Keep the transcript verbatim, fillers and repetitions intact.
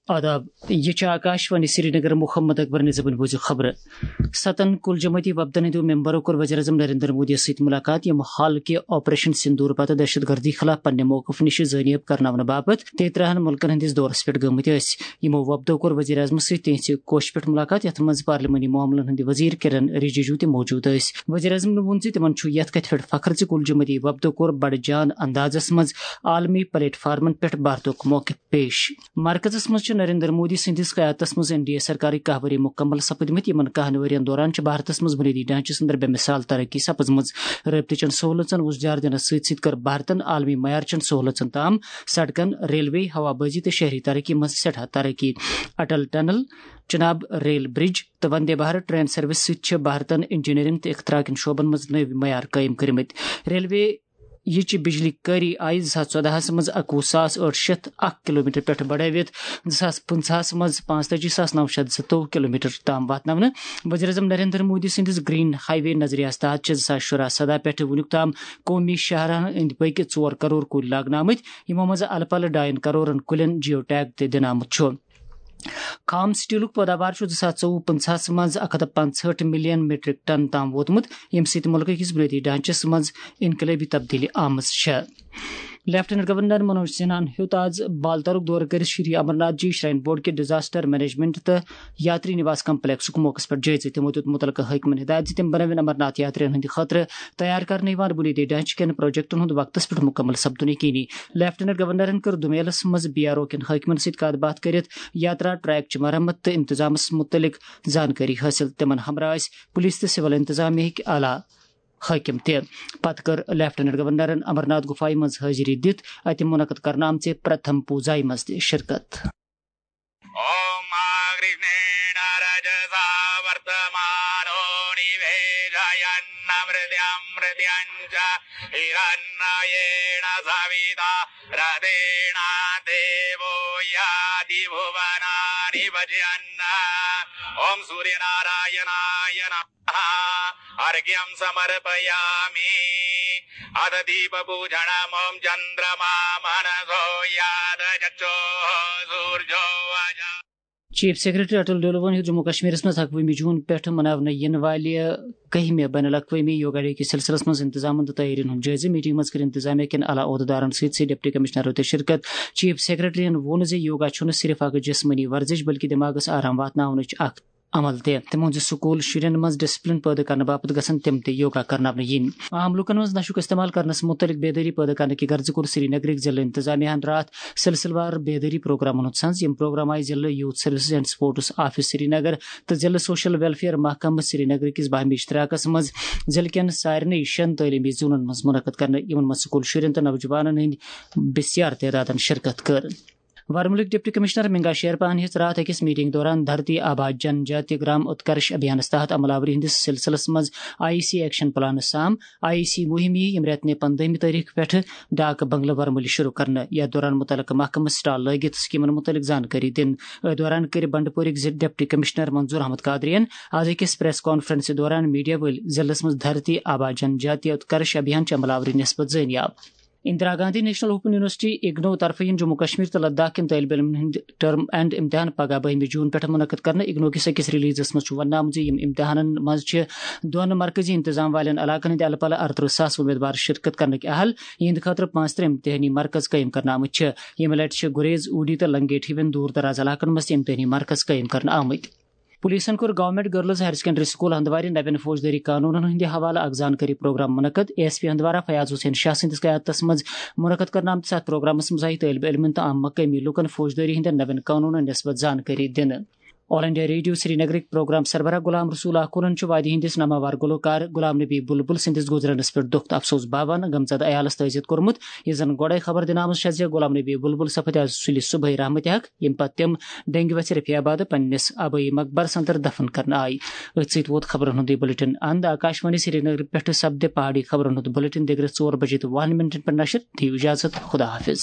آداب، یہِ چھِ آکاشوانی سرینگر۔ محمد اکبر نظامن بوٗزِو خبرٕ۔ ستن کُل جمٲعتی وفدن ہٕنٛدیو ممبرو کوٚر وزیر اعظم نریندر مودی یَس سۭتۍ مُلاقات، یِم حال کہِ آپریشن سندور پتہٕ دہشت گردی خلاف پننہِ موقف نِش زٲنیاب کرناونہٕ باپتھ تیٚترٕہن مُلکن ہٕنٛدِس دورس پٮ۪ٹھ گٔمٕتۍ ٲسۍ۔ یِمو وفدو کوٚر وزیر اعظمس سۭتۍ تِہنٛزِ کوشہِ پٮ۪ٹھ مُلاقات، یتھ منٛز پارلیمانی معاملن ہٕنٛدۍ وزیر کرن رجیجو تہِ موجود ٲسۍ۔ وزیر اعظمن ووٚن زِ تِمن چھُ یتھ کتھِ پٮ۪ٹھ فخر زِ کُل جمٲعتی وفدو کوٚر بڑٕ جان اندازس منٛز عالمی پلیٹ فارمن پٮ۪ٹھ بھارتُک موقف پیش۔ مرکزس منٛز چھِ نریندر مودی سٕنٛدِس قیادتس منٛز این ڈی اے سرکارٕکۍ کاہ ؤری مُکمل سپٕدمٕتۍ۔ یِمن کاہن ؤرین دوران چھِ بھارتس منٛز بُنیٲدی ڈھانچس اندر بے مثال ترقی سپٕزمٕژ۔ رٲبطٕچن سہوٗلژن وُژھ جار دِنس سۭتۍ سۭتۍ کٔر بھارتن عالمی معیارچن سہوٗلژن تام، سڑکن، ریلوے، ہوابازی تہٕ شہری ترقی منٛز سٮ۪ٹھاہ ترقی۔ اٹل ٹنل، چناب ریل برج تہٕ وندے بھارت ٹرین سروس سۭتۍ چھِ بھارتن انجینئرنگ تہٕ اختراع کٮ۪ن شعبن منٛز نٔوۍ معیار قٲیِم کٔرمٕتۍ۔ ریلوے یہِ چہِ بجلی کٲری آیہِ زٕ ساس ژۄدہَس منٛز اَکوُہ ساس ٲٹھ شیٚتھ اکھ کلومیٹر پٮ۪ٹھ بڑٲوِتھ زٕ ساس پٕنٛژٕہَس منٛز پانٛژتٲجی ساس نَو شیٚتھ زٕتووُہ کلومیٹر تام واتناونہٕ۔ وزیر اعظم نریندر مودی سٕنٛدِس گرین ہائی وے نظریہَس تحت چھِ زٕ ساس شُراہ سداہ پٮ۪ٹھ وُنیُک تام قومی شاہراہن أنٛدۍ پٔکۍ ژور کرور کُلۍ لاگنہٕ آمٕتۍ، یِمو منٛز الہٕ پلہٕ ڈاین کرورن کُلٮ۪ن جیو ٹیگ تہِ دِنہٕ آمُت چھُ۔ خام سٹیلُک پٲداوار چھُ زٕ ساس ژوٚوُہ پٕنٛژٕہَس منٛز اَکھ ہَتھ تہٕ پانٛژہٲٹھ ملین میٹرک ٹن تام ووتمُت، ییٚمہِ سۭتۍ مُلکہٕ کِس بُنیٲدی ڈھانچس منٛز انقلٲبی تبدیلی آمٕژ چھےٚ۔ لیفٹیننٹ گورنر منوج سنہاہن ہیوٚت آز بالتارُک دورٕ کٔرِتھ شری امرناتھ جی شراین بورڈ کہِ ڈیزاسٹر مینجمنٹ تہٕ یاتری نواس کمپلیکسُک موقعس پٮ۪ٹھ جٲیزٕ۔ تِمو دیُت مُتعلقہٕ حٲکمن ہدایت زِ تِم بنٲوِن امرناتھ یاترین ہٕنٛدِ خٲطرٕ تیار کرنہٕ یِوان بُنیٲدی ڈھانچہٕ کٮ۪ن پروجیکٹن ہُنٛد وقتس پٮ۪ٹھ مُکمل سپدُن یقینی۔ لیفٹیننٹ گورنرن کٔر دومیلس منٛز بی آر او کٮ۪ن حٲکمن سۭتۍ کتھ باتھ کٔرِتھ یاترا ٹریک چہِ مرمت تہٕ انتظامس مُتعلق زانکٲری حٲصِل۔ تِمن ہمراہ ٲسۍ پُلیٖس تہٕ سِول انتظامیہٕکۍ اعلیٰ حٲکِم تہِ۔ پتہٕ کٔر لیفٹیننٹ گورنرن امرناتھ گُفایہِ منٛز حٲضری دِتھ اَتہِ مُنعقد کرنہٕ آمژِ پرتھم پوٗزایہِ منٛز تہِ شرکت۔ ॐ कृष्णेन रजसा वर्तमानो निवेशयन्नमृत्यमृत्यञ्च हिरण्मयेन सविता रथेन देवो याति भुवनानि पश्यन्। ॐ सूर्यनारायणाय नमः। अर्घ्यं समर्पयामि। अथ दीपपूजनम्। ॐ चन्द्रमा मनसो यात चक्षुः सूर्यो अजा। چیف سیکرٹری اٹل ڈولوَن ہیوٚت جموں کشمیرس منٛز اکوُہمہِ جون پٮ۪ٹھ مناونہٕ یِنہٕ والہِ کٔہمہِ بین الاقوٲمی یوگا ڈے کِس سلسلس منٛز انتظامن تہٕ تیٲرین ہُنٛد جٲیزٕ۔ میٹنگ منٛز کٔر انتظامیہ کٮ۪ن اعلیٰ عہدٕدارن سۭتۍ سۭتۍ ڈپٹی کمشنرو تہِ شرکت۔ چیف سیکرٹریَن ووٚن زِ یوگا چھُنہٕ صرف اکھ جسمٲنی ورزش بلکہِ دٮ۪ماغس آرام واتناونٕچ اکھ عمل تہِ۔ تِمو ووٚن زِ سکوٗل شُرٮ۪ن منٛز ڈسپلن پٲدٕ کرنہٕ باپتھ گژھن تِم تہِ یوگا کرناونہٕ یِنۍ۔ عام لوٗکن منٛز نشُک استعمال کرنس مُتعلق بیدٲری پٲدٕ کرنہٕ کہِ غرضہٕ کوٚر سری نگرٕکۍ ضلعہٕ انتظامیہ ہن راتھ سلسلہٕ وار بیدٲری پروگرامن ہُنٛد سنز۔ یِم پروگرام آیہِ ضلعہٕ youth services and sports office Srinagar تہٕ ضلعہٕ سوشل ویلفیئر محکمہٕ سری نگر کِس باہمی اشتراکس منٛز ضلعہٕ کٮ۪ن سارنٕے شٮ۪ن تعلیمی زونن منٛز منعقد کرنہٕ۔ یِمن منٛز سکوٗل شُرٮ۪ن تہٕ نوجوانن ہٕنٛدۍ بسیار تعدادن شرکت کٔر۔ ورمُلٕکۍ ڈپٹی کمشنر منگا شیرپاہن ہیٚژ راتھ أکِس میٹنگ دوران دھرتی آبا جن جاتی گرام اتکرش ابھیانس تحت عمل آوری ہٕنٛدِس سلسلس منٛز آئی سی ایکشن پلانس سام۔ آئی سی مُہِم یِیہِ ییٚمہِ رٮ۪تہٕ نہِ پندٲہمہِ تٲریخ پٮ۪ٹھٕ ڈاک بنگلہٕ ورمُلہِ شروع کرنہٕ۔ یتھ دوران مُتعلقہٕ محکمہٕ سٹال لٲگِتھ سکیمن مُتعلق زانکٲری دِنہٕ۔ أتھۍ دوران کٔرۍ بنڈپورٕکۍ زِ ڈپٹی کمشنر منظور احمد قادریَن آز أکِس پریس کانفرنسہِ دوران میڈیا وٲلۍ ضلعس منٛز دھرتی آبا جن جاتی اتکرش ابھیان چہِ عمل آوری نسبت زٲنیاب۔ Indira Gandhi national open university IGNOU طرفہٕ یِن جموں کشمیر تہٕ لداخ کٮ۪ن طٲلبہِ علمن ہٕنٛدۍ ٹرم اینڈ امتحان پگاہ بٔہمہِ جون پٮ۪ٹھ منعقد کرنہٕ۔ اگنو کِس أکِس ریلیزس منٛز چھُ وننہٕ آمُت زِ یِم امتحانن منٛز چھِ دۄن مرکزی انتظام والٮ۪ن علاقن ہٕنٛدۍ الہٕ پلہٕ اَرترٕہ ساس امیدوار شرکت کرنٕکۍ اہل، یِہنٛدِ خٲطرٕ پانٛژترٕہ امتحٲنی مرکز قٲیِم کرنہٕ آمٕتۍ چھِ۔ ییٚمہِ لٹہِ چھِ گریز، اوٗڑی تہٕ لنگیٹ ہِوٮ۪ن دوٗر دراز علاقن منٛز تہِ امتحٲنی مرکز قٲیِم کرنہٕ آمٕتۍ۔ پولیسن کوٚر government girls higher secondary school ہندوارِ نوٮ۪ن فوجدٲری قانونن ہٕنٛدِ حوالہٕ اکھ زانکٲری پروگرام منعقد۔ A S P Handwara Fayaz Hussain Shah سٕنٛدِس قیادتس منٛز منعقد کرنہٕ آمتِس اتھ پروگرامس منٛز آیہِ طٲلبہِ علمن تہٕ عام مقٲمی لوٗکن فوجدٲری ہٕنٛدٮ۪ن نوٮ۪ن قانونن نسبت زانکٲری دِنہٕ۔ آل انڈیا ریڈیو سری نگرٕکۍ پروگرام سربراہ غلام رسول آکھونن چھُ وادی ہٕنٛدِس ناماوار گلوکار غلام نبی بلبل سٕنٛدِس گُزرنس پٮ۪ٹھ دۄکھ تہٕ افسوس باوان غمزدٕ عیالس تعزیت کوٚرمُت۔ یہِ زن گۄڈے خبر دِنہٕ آمٕژ چھےٚ زِ غلام نبی بلبل سپٕدۍ آز سُلہِ صبحٲے رحمتِ حق، ییٚمہِ پتہٕ تِم ڈنگہِ وژھِ رفیع آباد پننِس آبٲیی مقبرس اندر دفن کرنہٕ آیہِ۔ أتھۍ سۭتۍ ووت خبرن ہُنٛد یہِ بلیٹن اند۔ آکاشوانی سری نگر پٮ۪ٹھٕ سپدِ پہاڑی خبرن ہُنٛد بلیٹن دِگرس ژور بجے تہٕ وُہن منٹن پٮ۪ٹھ نشر۔ دِیِو اجازت، خدا حافظ۔